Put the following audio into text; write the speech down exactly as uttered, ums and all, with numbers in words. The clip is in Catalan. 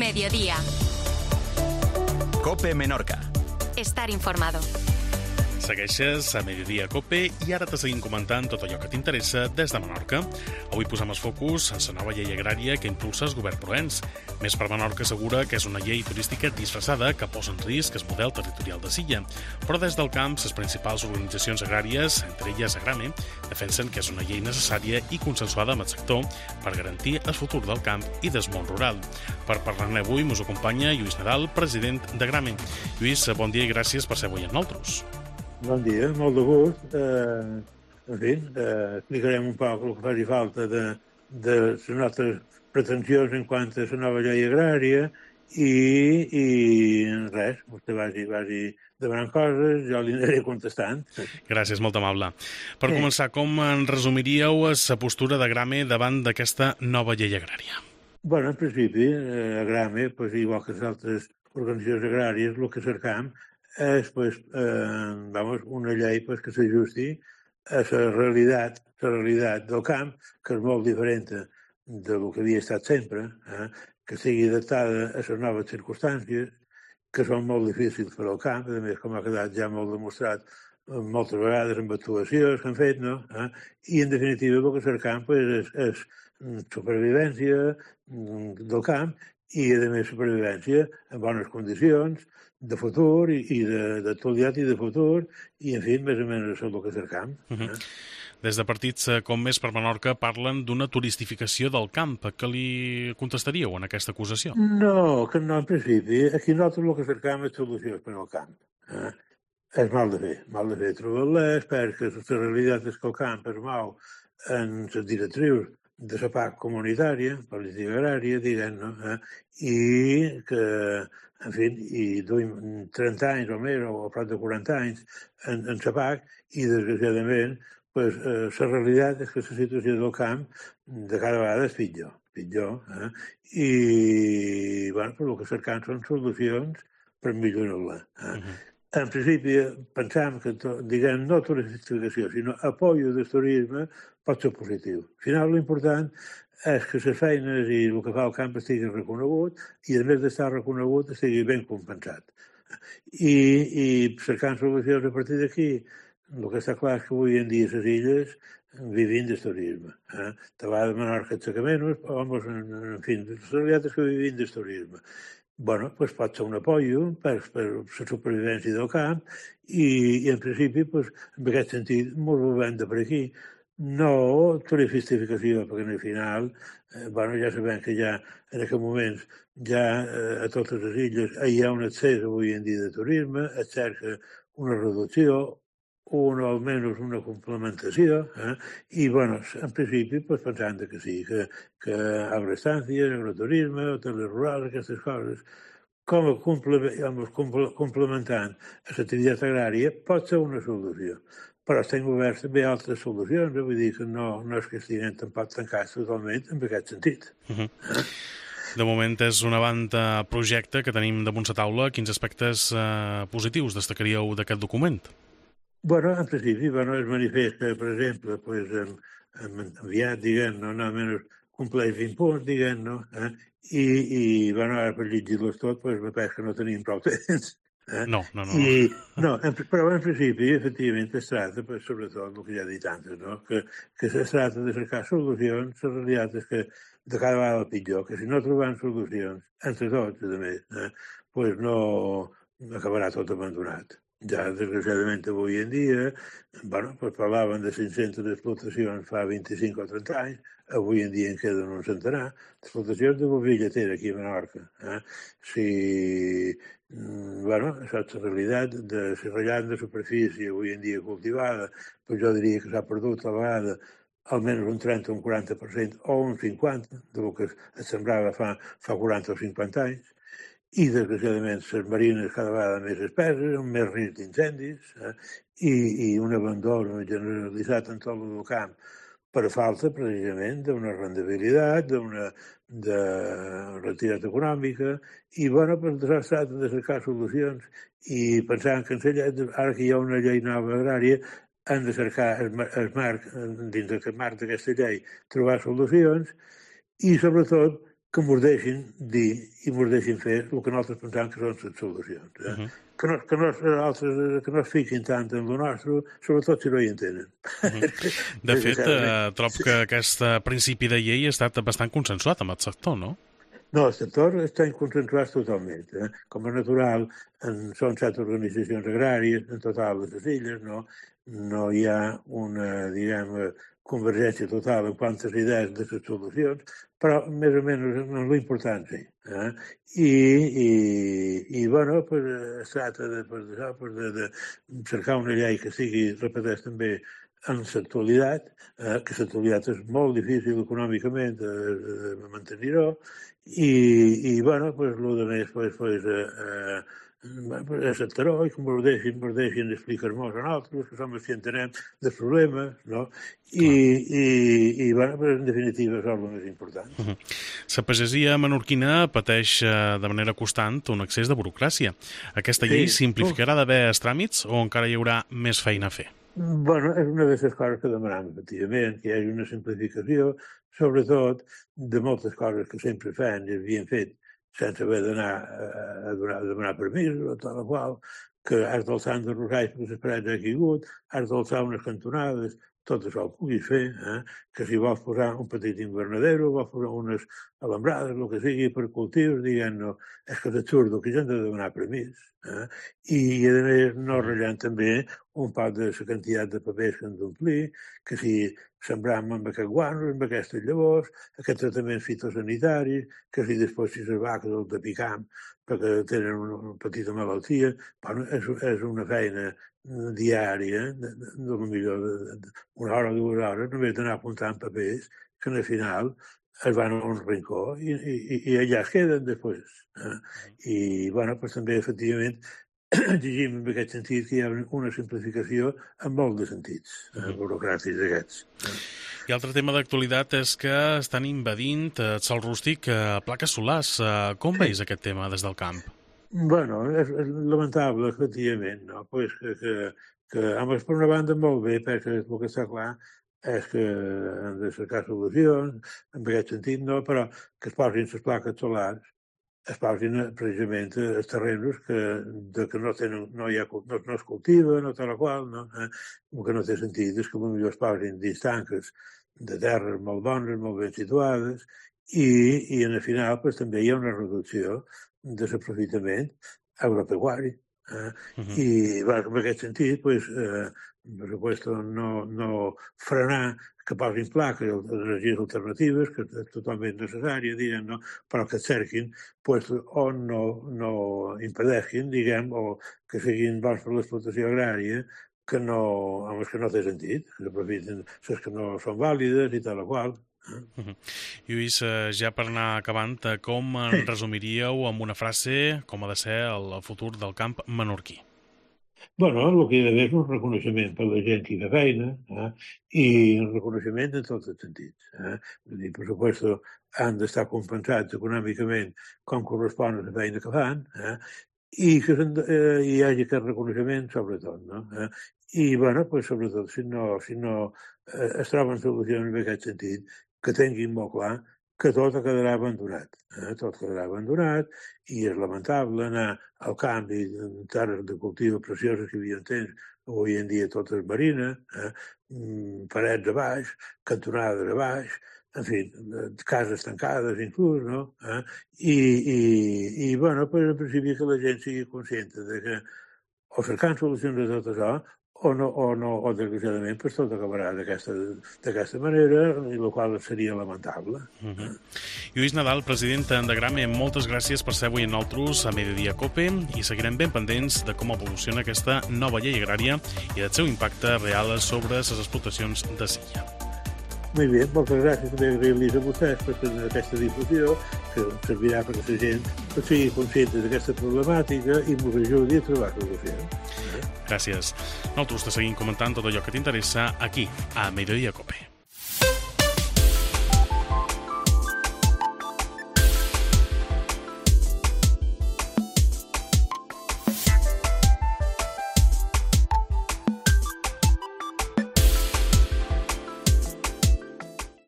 Mediodía. COPE Menorca. Estar informado. Segueixes a Mediodía COPE i ara te seguim comentant tot allò que t'interessa des de Menorca. Avui posem el focus en la nova llei agrària que impulsa el govern proens. Més per Menorca assegura que és una llei turística disfressada que posa en risc el model territorial de l'illa. Però des del camp, les principals organitzacions agràries, entre elles Agrame, defensen que és una llei necessària i consensuada amb el sector per garantir el futur del camp i del món rural. Per parlar-ne avui ens acompanya Lluís Nadal, president d'Agrame. Lluís, bon dia i gràcies per ser avui amb nosaltres. Bon dia, molt de gust. Eh, en fi, eh, explicarem un poc el que faci falta de, de les nostres pretensions en quant a la nova llei agrària i, i res, vostè vagi, vagi demanant coses, jo li aniré contestant. Gràcies, molt amable. Per Sí. començar, com en resumiríeu la postura d'Agrame davant d'aquesta nova llei agrària? Bueno, en principi, eh, Agrame, pues, igual que les altres organitzacions agràries, el que cercam és pues, eh, vamos, una llei pues, que s'ajusti a la realitat, la realitat del camp, que és molt diferent del que havia estat sempre, eh, que sigui adaptada a les noves circumstàncies, que són molt difícils per al camp, a més, com ha quedat ja molt demostrat moltes vegades amb actuacions que han fet, no? Eh? I, en definitiva, el que cercam pues, és, és supervivència del camp i, a més, supervivència en bones condicions, de futur i, i d'actualitat i de futur, i, en fi, més o menys això és el que cercam. Uh -huh. Des de partits com Més per Menorca parlen d'una turistificació del camp. Què li contestaríeu en aquesta acusació? No, que no, en principi. Aquí nosaltres el que cercam és solucions per al camp. Eh? És mal de fer, mal de fer trobar-les, perquè la realitat és que el camp es mou en les directrius de la P A C comunitària, política agrària, diguem, no? Eh? I que, en fi, i duim trenta anys o més, o prop de quaranta anys en, en la P A C, i desgraciadament, pues, eh, la realitat és que la situació del camp de cada vegada és pitjor, pitjor, eh? I, bueno, per el que cercam són solucions per millorar-la. Eh? Uh-huh. En principi, pensam que, diguem, no turistificació, sinó apoyo del turisme pot ser positiu. Al final, l'important és que les feines i el que fa el camp estigui reconegut i, a més d'estar reconegut, estigui ben compensat. I, i cercant solucions a partir d'aquí, el que està clar és que avui en dia les illes vivim del turisme. Eh? De vegades Menorca et saca menys, però, en, en fi, la realitat és que vivim del turisme. Bueno, pues pot ser un apoyo per, per la supervivència del camp i, i en principi, pues, en aquest sentit, ens movem de per aquí. No turistificació, perquè al final, eh, bueno, ja sabem que ja en aquests moments ja eh, a totes les illes hi ha un accés avui en dia de turisme, es cerca una reducció, una, almenys una complementació, eh? I, bueno, en principi, pues, pensant que sí, que, que agroestàncies, agroturisme, hotels rurals, aquestes coses, com a complementant a l'activitat agrària, pot ser una solució. Però estem oberts també a altres solucions, eh? Vull dir que no, no és que estiguin tampoc tancats totalment en aquest sentit. Uh -huh. eh? De moment és un avantprojecte que tenim damunt la taula. Quins aspectes eh, positius destacaríeu d'aquest document? Bueno, en principi, bueno, es manifesta, per exemple, pues, en, en enviat, diguem, no, no menys compleix vint punts, diguem, no? Eh? I, i, bueno, ara per llegir-los tot, pues, me penso que no tenim prou temps. Eh? No, no, no. I, no en, però en principi, efectivament, es tracta, pues, sobretot, el que ja he dit antes, no? que, que es tracta de cercar solucions. La realitat és que de cada vegada pitjor, que si no trobem solucions, entre tots, a més, eh, pues no acabarà tot abandonat. Ja, desgraciadament, avui en dia, bueno, pues parlaven de cinc-centes explotacions fa vint-i-cinc o trenta anys, avui en dia en queden un centenar d'explotacions de boví lletera aquí a Menorca. Eh? Si, bueno, això és la realitat de si ratllant de superfície avui en dia cultivada, pues jo diria que s'ha perdut a la vegada almenys un trenta o un quaranta per cent o un cinquanta del que es sembrava fa, fa quaranta o cinquanta anys. I, desgraciadament, les marines cada vegada més espeses, amb més risc d'incendis, eh? I, i un abandó generalitzat en tot el camp per falta, precisament, d'una rendibilitat, d'una de retirada econòmica, i, bueno, per això es tracta de cercar solucions. I pensant que ara que hi ha una llei nova agrària, han de cercar el, el marc, dins del marc d'aquesta llei, trobar solucions i, sobretot, que ens deixin dir i ens deixin fer el que nosaltres pensem que són les solucions. Eh? Uh -huh. que, no, que, no, altres, que no es fiquin tant en el nostre, sobretot si no hi entenen. Uh -huh. De fet, eh, trobo que aquest principi de llei ha estat bastant consensuat amb el sector, no? No, el sector està consensuat totalment. Eh? Com és natural, en, són set organitzacions agràries, en total de les illes, no, no hi ha una, diguem, convergència total en quantes idees de les solucions, però més o menys en l'important sí. Eh? I, i, i, bueno, pues, es tracta de, pues, de, pues, de, de cercar una llei que sigui, repeteix també, en l'actualitat, eh, que l'actualitat és molt difícil econòmicament de, de, de mantenir-ho, i, i, bueno, pues, el de més, pues, pues, eh, eh, acceptar-ho i que ens deixin, ens deixin explicar-nos a nosaltres, que som els que entenem dels problemes, no? I, i, i bueno, en definitiva, això és el més important. La uh -huh. pagesia menorquina pateix de manera constant un excés de burocràcia. Aquesta llei sí. simplificarà d'haver els tràmits o encara hi haurà més feina a fer? Bueno, és una de les coses que demanem, efectivament, que hi hagi una simplificació, sobretot de moltes coses que sempre fan i havien fet sense haver d'anar a, a, donar, a demanar permís, o tal o qual, que has d'alçar de rosais perquè les parets ha caigut, has d'alçar unes cantonades, tot això ho puguis fer, eh? que si vols posar un petit invernadero, vols posar unes alambrades, el que sigui, per cultius, diguem, no, és que és absurdo que gent ha de demanar permís. Eh? I, a més, no ratllant també un poc de la quantitat de papers que han d'omplir, que si sembram amb aquest guano, amb aquestes llavors, aquests tractaments fitosanitaris, que si després si les vaques el de picam perquè tenen una petita malaltia, bueno, és, és una feina diària, de, de, de, millor de, de, una hora o dues hores, només d'anar apuntant papers que al final es van a un rincó i, i, i allà es queden després. Eh? I, bueno, pues, també, efectivament, exigim en aquest sentit que hi ha una simplificació en molt de sentits eh, burocràtics aquests. I altre tema d'actualitat és que estan invadint el sòl rústic a plaques solars. Com veus aquest tema des del camp? Bueno, és, és lamentable, efectivament, no? Pues que, que, que, a més, per una banda, molt bé, perquè el que està clar és que han de cercar solucions, en aquest sentit, no? Però que es posin les plaques solars, es posin precisament els terrenos que, de, que no, tenen, no, hi ha, no, no es cultiva, no tal qual, no? Eh? El que no té sentit és que potser es posin dins tanques de terres molt bones, molt ben situades, i, i en el final pues, també hi ha una reducció de l'aprofitament agropecuari. Eh? Uh -huh. I bueno, en aquest sentit, pues, eh, per supuesto, no, no frenar que posin plaques d'energies alternatives, que és totalment necessària, diguem, no? Però que cerquin pues, o no, no impedeixin, diguem, o que siguin bons per l'explotació agrària, que no, home, que no té sentit, que s'aprofiten les que no són vàlides i tal o qual. Uh -huh. Lluís, ja per anar acabant, com en resumiríeu amb una frase com ha de ser el futur del camp menorquí? Bueno, el que hi ha d'haver és un reconeixement per la gent que hi fa feina eh? i un reconeixement en tots els sentits. Eh? Vull dir, per supuesto, han d'estar compensats econòmicament com correspon a la feina que fan eh? i que eh, hi hagi aquest reconeixement sobretot. No? Eh? I, bueno, pues, sobretot, si no, si no eh, es troben solucions en aquest sentit, que tinguin molt clar que tot quedarà abandonat. Eh? Tot quedarà abandonat i és lamentable anar al canvi de terres de cultiu precioses que hi havia temps, avui en dia totes marines, eh? parets a baix, cantonades a baix, en fi, cases tancades inclús, no? Eh? I, i, i bueno, pues, en principi que la gent sigui conscient de que o cercant solucions de tot això, o no, o no, o desgraciadament, pues, tot acabarà d'aquesta manera, i el qual seria lamentable. Uh -huh. Lluís Nadal, president de Grame, moltes gràcies per ser avui en nosaltres a Mediodía Cope i seguirem ben pendents de com evoluciona aquesta nova llei agrària i del seu impacte real sobre les explotacions de silla. Molt bé, moltes gràcies també agrair-los a vostès per fer aquesta difusió, que servirà perquè la gent sigui conscient d'aquesta problemàtica i ens ajudi a trobar solucions. Gràcies. Nosaltres te seguim comentant tot allò que t'interessa aquí, a Mediodía Cope.